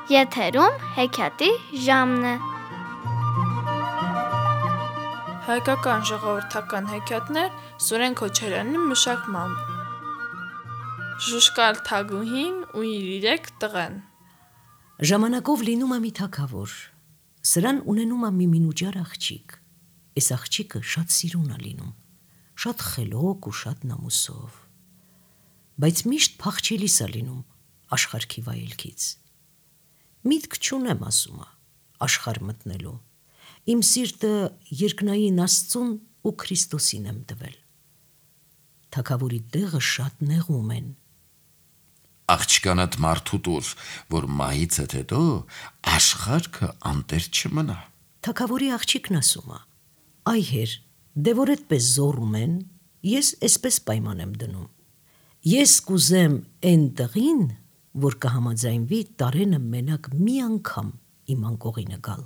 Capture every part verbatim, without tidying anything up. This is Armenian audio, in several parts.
Եթերում հեքիաթի ժամն է։ Հայկական ժողովրդական հեքիաթներ Սուրեն Քոչարյանի մշակմամբ։ Ժուժկալ թագուհին ու իր երեք տղեն։ Ժամանակով լինում է մի թագավոր, սրան ունենում է մի մինուճար աղջիկ, այս աղջիկը շատ սիրուն է լինում, շատ խելոք ու շատ նամուսով, բայց միշտ փախչելիս է լինում աշխարհքի վայելքից։ Միտք չունեմ, ասում է, աշխարհ մտնելու, իմ սիրտը երկնային Աստծուն ու Քրիստոսին եմ տվել։ Թագավորի տեղը շատ նեղում են։ Աղջկանդ մարդու տուր, որ մահիցդ հետո աշխարհքը անտեր չմնա։ Թագավորի աղջիկն ասում է. այ հեր, դե որ այդպես զոռում են, ես այսպես պայման եմ դնում։ Ես կուզեմ այն տղին, որ կհամաձայնվի տարենը մենակ մի անգամ իմ անկողինը գալ։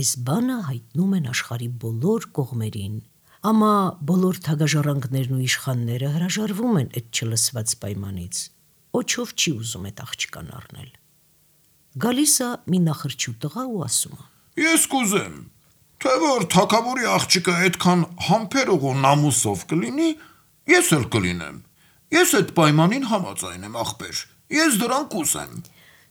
Այս բանը հայտնում են աշխարհի բոլոր կողմերին, ամա բոլոր թագաժառանգներն ու իշխանները հրաժարվում են այդ չլսված պայմանից, ոչով չի ուզում այդ աղջկան առնել։ Գալիս է մի նախրջու տղա ու ասում է. Ես կուզեմ, թե որ թագավորի աղջիկը այդքան համբերող ու նամուսով կլինի, ես էլ կլինեմ։ Ես այդ պայմանին համաձայն եմ, ախպեր, ես դրան կուզեմ։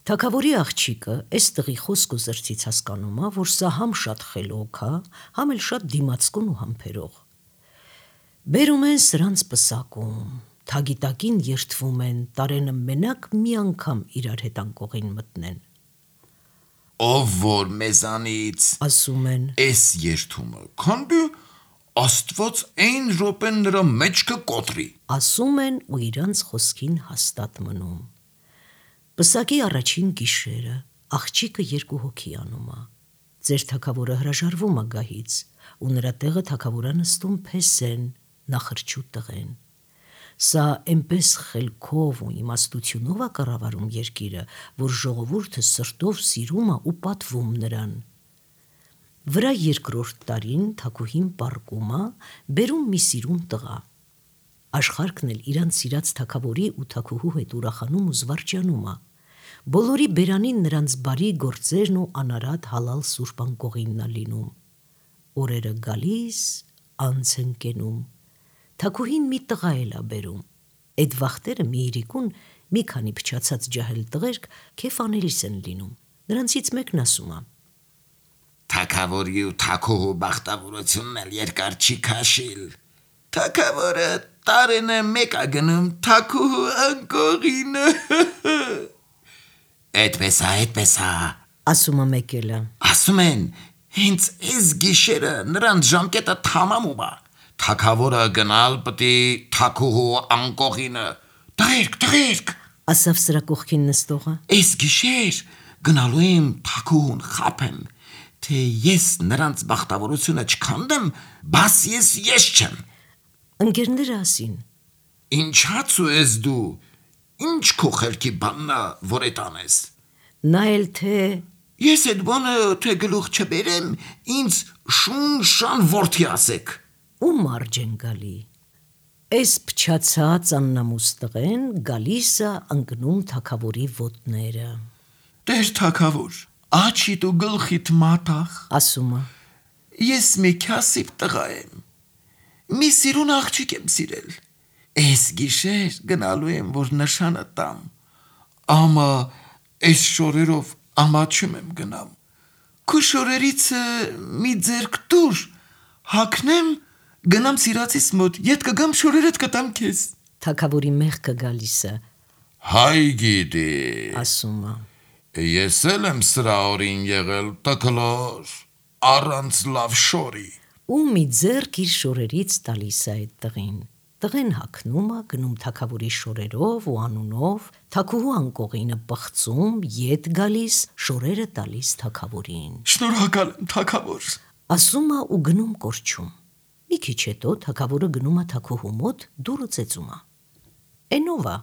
Թագավորի աղջիկը այս տղի խոսք ու զրծից հասկանում է, որ սա համ շատ խելոք է, համ էլ շատ դիմացկուն ու համբերող։ Բերում են սրանց պսակում, թագի տակին երդվում են, տարենը մենակ մի անգամ իրար հետ անկողին մտնեն։ Ով որ մեզանից, ասում են, այս երդումը քանդի, Աստված այն րոպեն նրա մեջքը կոտրի, ասում են ու իրանց խոսքին հաստատ մնում։ Պսակի առաջին գիշերը աղջիկը երկու հոգի անում է։ Ձեր թագավորը հրաժարվում է գահից, ու նրա տեղը թագավորը նստում Փեսեն, նախրջու տղեն։ Սա այնպես խելքով ու իմաստությունով է կառավարում երկիրը, որ ժողովուրդը սրտով սիրում է ու պատվում նրան։ Վրա երկրորդ տարին թագուհին պառկում է, բերում մի սիրուն տղա։ Աշխարհքն էլ իրանց սիրած թագավորի ու թագուհու հետ ուրախանում ու զվարճանում է։ Բոլորի բերանին նրանց բարի գործերն ու անարատ հալալ սուրբ անկողինն է լինում։ Օրերը գալիս, անց են կենում։ Թագուհին մի տղա էլ է բերում։ Այդ վախտերը մի իրիկուն մի քանի փչացած ջահել տղերք քեֆ անելիս են լինում։ Նրանցից մեկն ասում է. Թագավորի ու թագուհու բախտավորությունն էլ երկար չի քաշիլ։ Թագավորը տարենը մեկ է գնում թագուհու անկողինը։ Այդպես է, այդպես է, ասում է մեկելը։ ասում են, հենց այս գիշերը նրանց ժամկետը թամամում է։ Թագավորը գնալ պտի թագուհու անկողինը։ Տղերք, տղերք, ասավ սրա կողքին նստողը։ Այս գիշեր գնալու եմ թագուհուն խաբեմ, թե ես նրանց բախտավորությունը չքանդեմ, բաս ես ես չեմ։ Ընկերները ասին. Ինչացու ես դու, ինչ քո խելքի բանն է, որ էդ անես։ Նա էլ թե Ես այդ բանը թե գլուխ չբերեմ, ինձ շուն-շան որդի ասեք։ Ու մարջ են գալի։ Այս փչացած աննամուս տղեն գալիս է ընկնում թագավորի ոտները։ Տեր թագավոր, աչիդ ու գլխիդ մատաղ, ասում է, ես մի քասիբ տղա եմ, մի սիրուն աղջիկ եմ սիրել, այս գիշեր գնալու եմ, որ նշանը տամ, ամա այս շորերով ամաչում եմ գնամ, քո շորերիցը մի ձերք տուր, հագնեմ, գնամ սիրածիս մոտ, ետ կգամ շորերդ կտամ քեզ։ Թագավորի մեղքը գալիս է, Հայ գիտի, ասում է, ես էլ եմ սրա օրին եղել տկլոր, առանց լավ շորի։ ու մի ձեռք իր շորերից տալիս է այդ տղին։ Տղեն հագնում է, գնում թագավորի շորերով ու անունով, թագուհու անկողինը պղծում, ետ գալիս, շորերը տալիս թագավորին։ Շնորհակալ եմ թագավոր, ասում է ու գնում կորչում։ Մի քիչ հետո թագավորը գնում է թագուհու մոտ, դուռը ծեծում է։ Էնով է,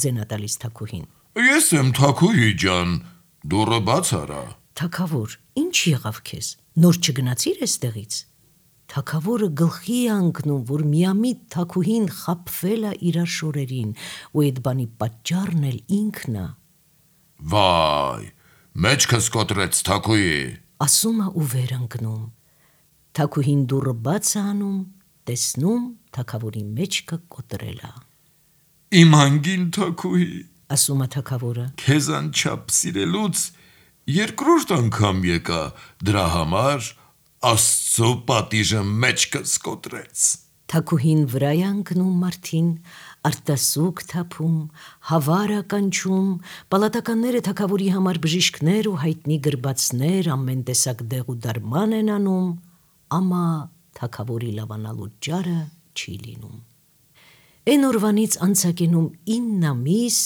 ձենա տալիս թագուհին։ Ես եմ թագուհի ջան, դուռը բաց արա։ Թագավոր, ինչ եղավ քեզ, նոր չգնացիր այստեղից։ Թագավորը գլխի է ընկնում, որ միամիտ թագուհին խաբվել է իրար շորերին, ու այդ բանի պատճառն էլ ինքն է։ Վայ, մեջքս կոտրեց թակուի։ Ասում է ու վեր ընկնում։ Թակուհին դուռը բաց է անում, տեսնում թագավորի մեջքը կոտրել է։ Իմ անգին թակուի, Ասում է թագավորը։ քեզ անչափ սիրելուց երկրորդ անգամ եկա, դրա համար Աստծո պատիժը մեջքս կոտրեց։ Թակուհին վրա է ընկնում մարդին, արտասուք թափում, հավար է կանչում, պալատականները թագավորի համար բժիշկներ ու հայտնի գրբացներ ամեն տեսակ դեղ ու դարման են անում, ամա թագավորի լավանալու ճարը չի լինում։ Էն օրվանից անցակենում ինն ամիս,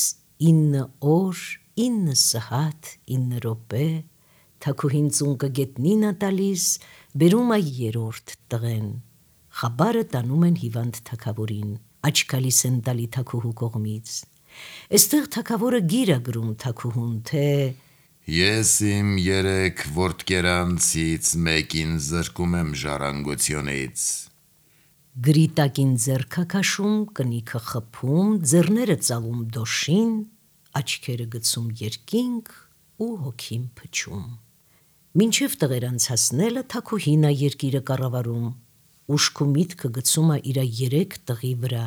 ինը օր, ինը սհատ, ինը րոպե, թագուհին ծունկը գետնին է տալիս, բերում է երրորդ տղեն։ Խաբարը տանում են հիվանդ թագավորին, աչքալիս են տալի թագուհու կողմից։ Էստեղ թագավորը գիր է գրում թագուհուն, թե Ես իմ երեք որդկերանցից մեկին զրկում եմ ժառանգությունից։ գրի տակին ձեռքը քաշում, կնիքը խփում, ձեռները ծալում դոշին, աչքերը գցում երկինք ու հոգին փչում։ Մինչև տղերանց հասնելը թագուհին է երկիրը կառավարում, ուշքու միտքը գցում է իր երեք տղի վրա,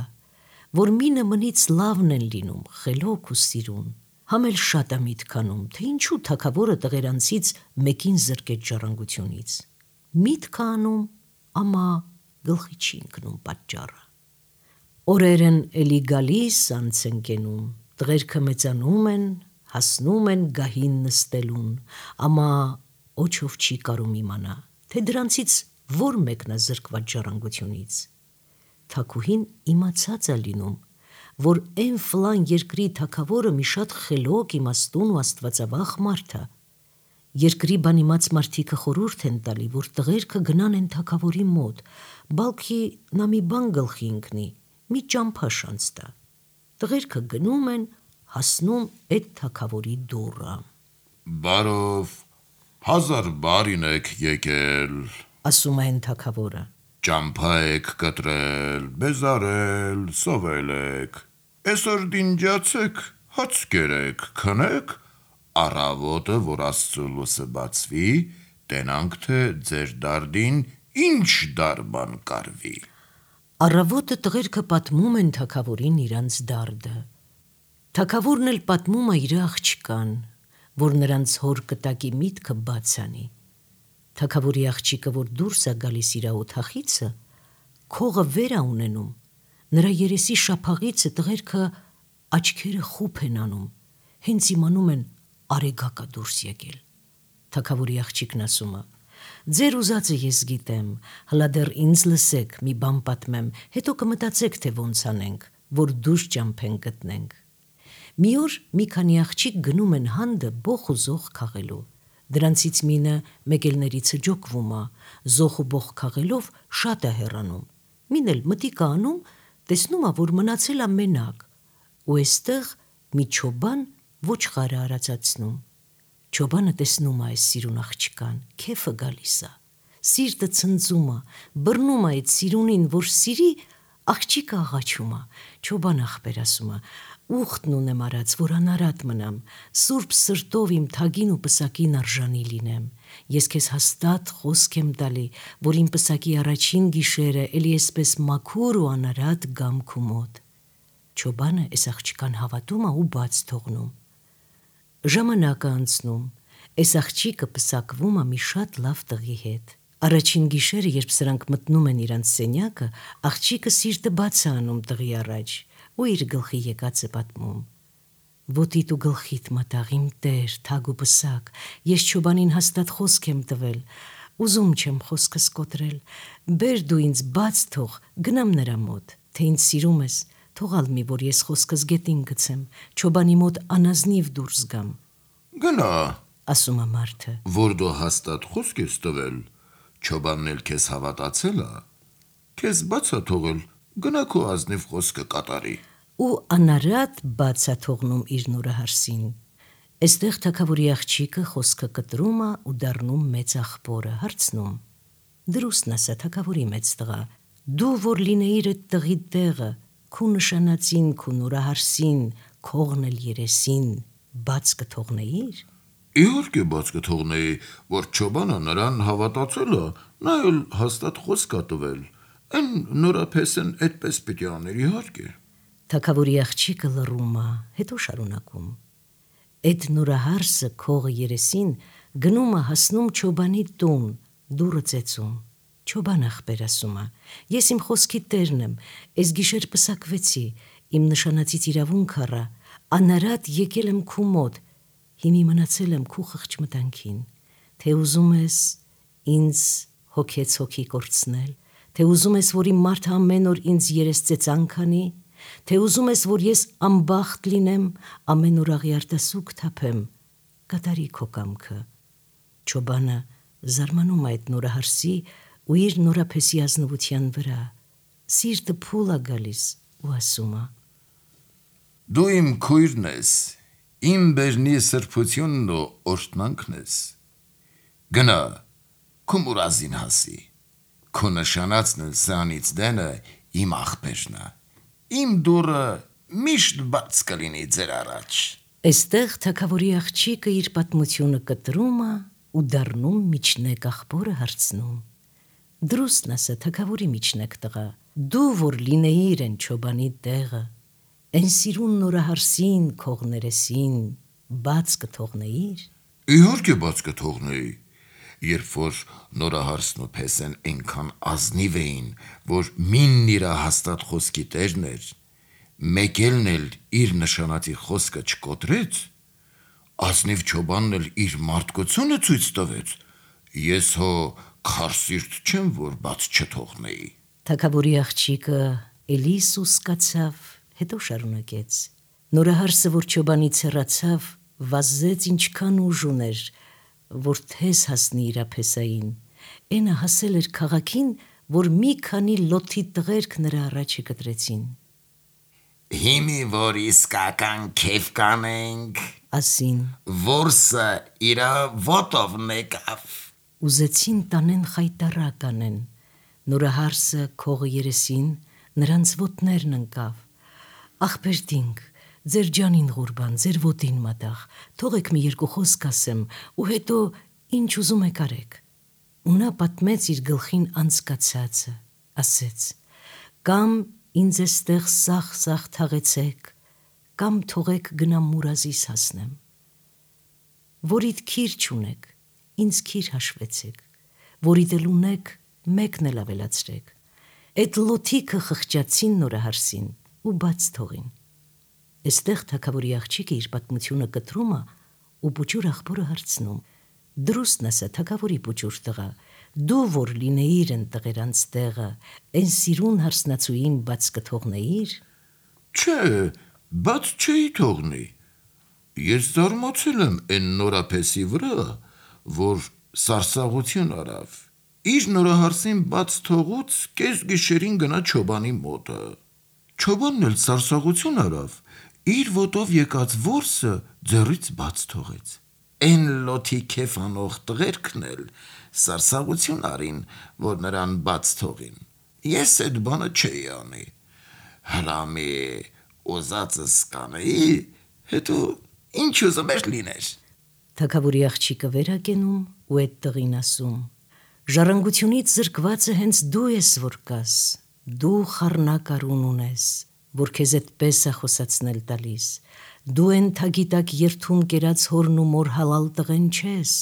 որ մինը մնից լավն են լինում, խելոք ու սիրուն։ Համ էլ շատ է միտք անում, թե ինչու թագավորը տղերանցից մեկին զրկեց ժառանգությունից։ Միտք անում, ամա գլխի չի ընկնում պատճառը։ Օրերն էլի գալիս անց են կենում, տղերքը մեծանում են, հասնում են գահին նստելուն, ամա օչով չի կարում իմանա, թե դրանցից որ մեկն է զրկված ժառանգությունից։ Թագուհին իմացած է լինում, որ այն ֆլան երկրի թագավորը մի շատ խելոք, իմաստուն ու աստվածավախ մարդ է։ Երկրի բանիմաց մարդիկը խորհուրդ են տալի, որ տղերքը գնան են թագավորի մոտ, բալքի նա մի բան գլխի ընկնի, մի ճամփա շանց տա։ Տղերքը գնում են, հասնում այդ թագավորի դուռը։ Բարով, հազար բարին եք եկել, Ասում է այն թագավորը։ ճամփա եք կտրել, բեզարել, սովել եք, այսօր դինջացեք, հաց կերեք, քնեք, առավոտը, որ Աստծո լույսը բացվի, տենանք թե ձեր դարդին ինչ դարբան կարվի։ Առավոտը տղերքը պատմում են թագավորին իրանց դարդը։ Թագավորն էլ պատմում է իր աղջկան, որ նրանց հոր կտակի միտքը բաց անի։ Թագավորի աղջիկը, որ դուրս է գալիս իր օթախիցը, քողը վեր է ունենում, նրա երեսի շափաղիցը տղերքը աչքերը խուփ են անում, հենց իմանում են արեգակա դուրս եկել։ Թագավորի աղջիկն ասում է. ձեր ուզածը ես գիտեմ, հլա դեռ ինձ լսեք, մի բան պատմեմ, հետո կմտածեք, թե ոնց անենք, որ դուրս ճամփեն գտնենք։ Մի օր մի քանի աղջիկ գնում են հանդը բոխ ու զոխ քաղելու։ Դրանցից մինը մեկելներից ջոկվում է, զոխ ու բոխ քաղելով շատ է հեռանում։ Մին էլ մտիկ է անում, տեսնում է, որ մնացել է մենակ, ու այստեղ մի չոբան ոչխարը արածացնում։ Չոբանը տեսնում է այս սիրուն աղջկան, քեֆը գալիս է, սիրտը ցնծում է, բռնում է այդ սիրունին, որ սիրի, աղջիկը աղաչում է։ Չոբան աղբեր ասում է. ուխտն ունեմ արած, որ անարատ մնամ, սուրբ սրտով իմ թագին ու պսակին արժանի լինեմ։ Ես քեզ հաստատ խոսք եմ տալի, որ իմ պսակի առաջին գիշերը էլի էսպես մաքուր ու անարատ գամ քու մոտ։ Չոբանը այս աղջկան հավատում է ու բաց թողնում։ Ժամանակը անցնում, այս աղջիկը պսակվում է մի շատ լավ տղի հետ։ Առաջին գիշերը, երբ սրանք մտնում են իրանց սենյակը, աղջիկը սիրտը բաց է անում տղի առաջ ու իր գլխի եկածը պատմում։ Ոտիդ ու գլխիդ մտաղ իմ տեր, թագ ու պսակ, ես չոբանին հաստատ խոսք եմ տվել, ուզում չեմ խոսքս կոտրել, բեր դու ինձ բաց թող, գնամ նրա մոտ, թե ինձ սիրում ես, թողալ մի, որ ես խոսքս գետին գցեմ, չոբանի մոտ անազնիվ դուրս գամ։ Գնա, Ասում է մարդը։ որ դու հաստատ խոսք ես տվել, չոբանն էլ քեզ հավատացել է, քեզ բաց է թողել, գնա քո ազնիվ խոսքը կատարի։ Ու անարատ բաց է թողնում իր նորահարսին։ Այստեղ թագավորի աղջիկը խոսքը կտրում է ու դառնում մեծ աղբորը, հարցնում. Դրուստն ասա թագավորի մեծ տղա, դու որ լինեիր այդ տղի տեղը, քու նշանածին, քու նորահարսին, քողն էլ երեսին, բաց կթողնեիր։ Իհարկե բաց կթողնեի, որ Չոբանը նրան հավատացել է, նա էլ հաստատ խոսք է տվել։ Այն նորափեսն այդպես պիտի աներ, իհարկե։ Թագավորի աղջիկը լռում է, հետո շարունակում. Այդ նորահարսը քողը երեսին գնում է հասնում Չոբանի տուն, դուռը ծեծում։ Չոբան ախպեր ասում է. Ես իմ խոսքի տերն եմ, այս գիշեր պսակվեցի, իմ նշանածից իրավունք առա, անարատ եկել եմ քու մոտ, հիմի մնացել եմ քու խղճմտանքին, թե ուզում ես ինձ հոգեց հոգի կորցնել, թե ուզում ես, որ իմ մարդը ամեն օր ինձ երես ծեծանք անի, թե ուզում ես, որ ես անբախտ լինեմ, ամեն օր աղյարտասուք թափեմ, կատարի քո կամքը։ Չոբանը զարմանում է այդ նորահարսի ու իր նորափեսի ազնվության վրա, սիրտը փուլ է գալիս ու ասում է. Դու իմ քույրն ես, իմ բերնի սրբությունն ու օրհնանքն ես։ Գնա, քո մուրազին հասի, քո նշանածն էլ սրանից դենը իմ աղբերն է, իմ դուռը միշտ բաց կլինի ձեր առաջ։ Այստեղ թագավորի աղջիկը իր պատմությունը կտրում է ու դառնում միջնեկ աղբորը հարցնում. Դրուստն ասա թագավորի միջնեկ տղա, դու որ լինեիր են Չոբանի տեղը, այն սիրուն նորահարսին քողներեսին բաց կթողնեիր։ Իհարկե բաց կթողնեի, երբ որ նորահարսն ու փեսեն այնքան ազնիվ էին, որ մինն իրա հաստատ խոսքի տերն էր, մեկելն էլ իր նշանածի խոսքը չկոտրեց, ազնիվ Չոբանն էլ իր մարդկությունը ցույց տվեց, ես հո քարսիրտ չեմ, որ բաց չթողնեի։ Թագավորի աղջիկը էլի սուսկացավ, հետո շարունակեց. Նորահարսը, որ Չոբանից հեռացավ, վազեց ինչքան ուժ ուներ, որ թես հասնի իր ափեսային, այնը հասել էր քաղաքին, որ մի քանի լոթի տղերք նրա առաջը կտրեցին։ Հիմի որ իսկական քեֆ կանենք, ասին, որսը իրա ոտովն եկավ։ Ուզեցին տանեն խայտարակ անեն, նորահարսը քողը երեսին նրանց ոտներն ընկավ։ Ախպերտինք, ձեր ջանին ղուրբան, ձեր ոտին մատաղ, թողեք մի երկու խոսք ասեմ ու հետո ինչ ուզում եք արեք։ Ու նա պատմեց իր գլխին անցկացածը, ասեց. կամ ինձ էստեղ սախ-սախ թաղեցեք, կամ թողեք գնամ մուրազիս հասնեմ։ Որիդ քիր չունեք, ինձ քիր հաշվեցեք, որիդ էլ ունեք, մեկն էլ ավելացրեք։ Այդ լոթիկը խղճացին նորահարսին ու բաց թողին։ Այստեղ թագավորի աղջիկը իր պատմությունը կտրում է ու պուճուր աղբորը հարցնում. Դրուստն ասա թագավորի պուճուր տղա, դու որ լինեիր են տղերանց տեղը, այն սիրուն հարսնացուին բաց կթողնեիր։ Չէ, բաց չէի թողնի։ Ես զարմացել եմ այն նորափեսի վրա, որ սարսաղություն արավ։ Իր նորահարսին բաց թողուց կես գիշերին գնա Չոբանի մոտը։ Չոբանն էլ սարսաղություն արավ, իր ոտով եկած որսը ձեռից բաց թողեց։ Այն լոթի քեֆ անող տղերքն էլ սարսաղություն արին, որ նրան բաց թողին։ Ես այդ բանը չէի անի։ Հրամի ուզածս կանեի, հետո ինչ ուզում էր լիներ։ Թագավորի աղջիկը վերակենում ու այդ տղին ասում. Ժառանգությունից զրկվածը հենց դու ես որ կաս, դու խառնակ արուն ունես, որ քեզ այդպես է խոսացնել տալիս, դու են թագիտակ երթում կերած հորն ու մոր հալալ տղեն չես,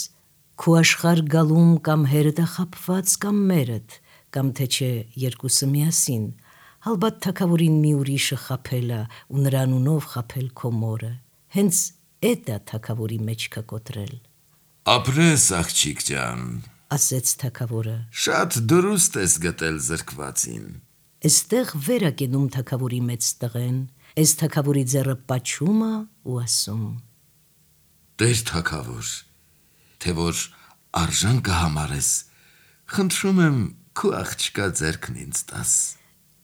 քու աշխար գալում կամ հերդ է խապված կամ մերդ, կամ թե չէ երկուսը միասին, հալբատ թագավորին մի ուրիշը խապել է ու նրան ունով խապել քո մորը, հենց էդ է թագավորի մեջքը կոտրել։ Ապրես աղջիկ ջան, ասեց թագավորը, շատ դրուստ ես գտել զրկվածին։ Այստեղ վերակենում թագավորի մեծ տղեն, այս թագավորի ձեռը պաչում է ու ասում. Տեր թագավոր, թե որ արժան կհամարես, խնդրում եմ քո աղջկա ձեռքն ինձ տաս։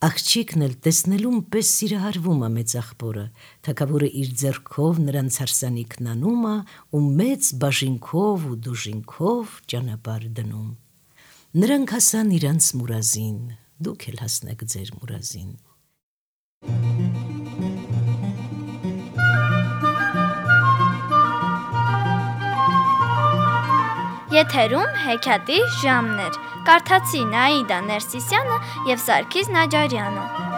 Աղջիկն էլ տեսնելուն պես սիրահարվում է մեծ աղբորը, թագավորը իր ձեռքով նրանց հարսանիքն անում է ու մեծ բաժինքով ու դուժինքով ճանապարհ դնում։ Նրանք հասան իրանց մուրազին, դուք էլ հասնեք ձեր մուրազին։ Եթերում հեքիաթի ժամն էր։ Կարդացի Նաիդա Ներսիսյանը եւ Սարգիս Նաջարյանը։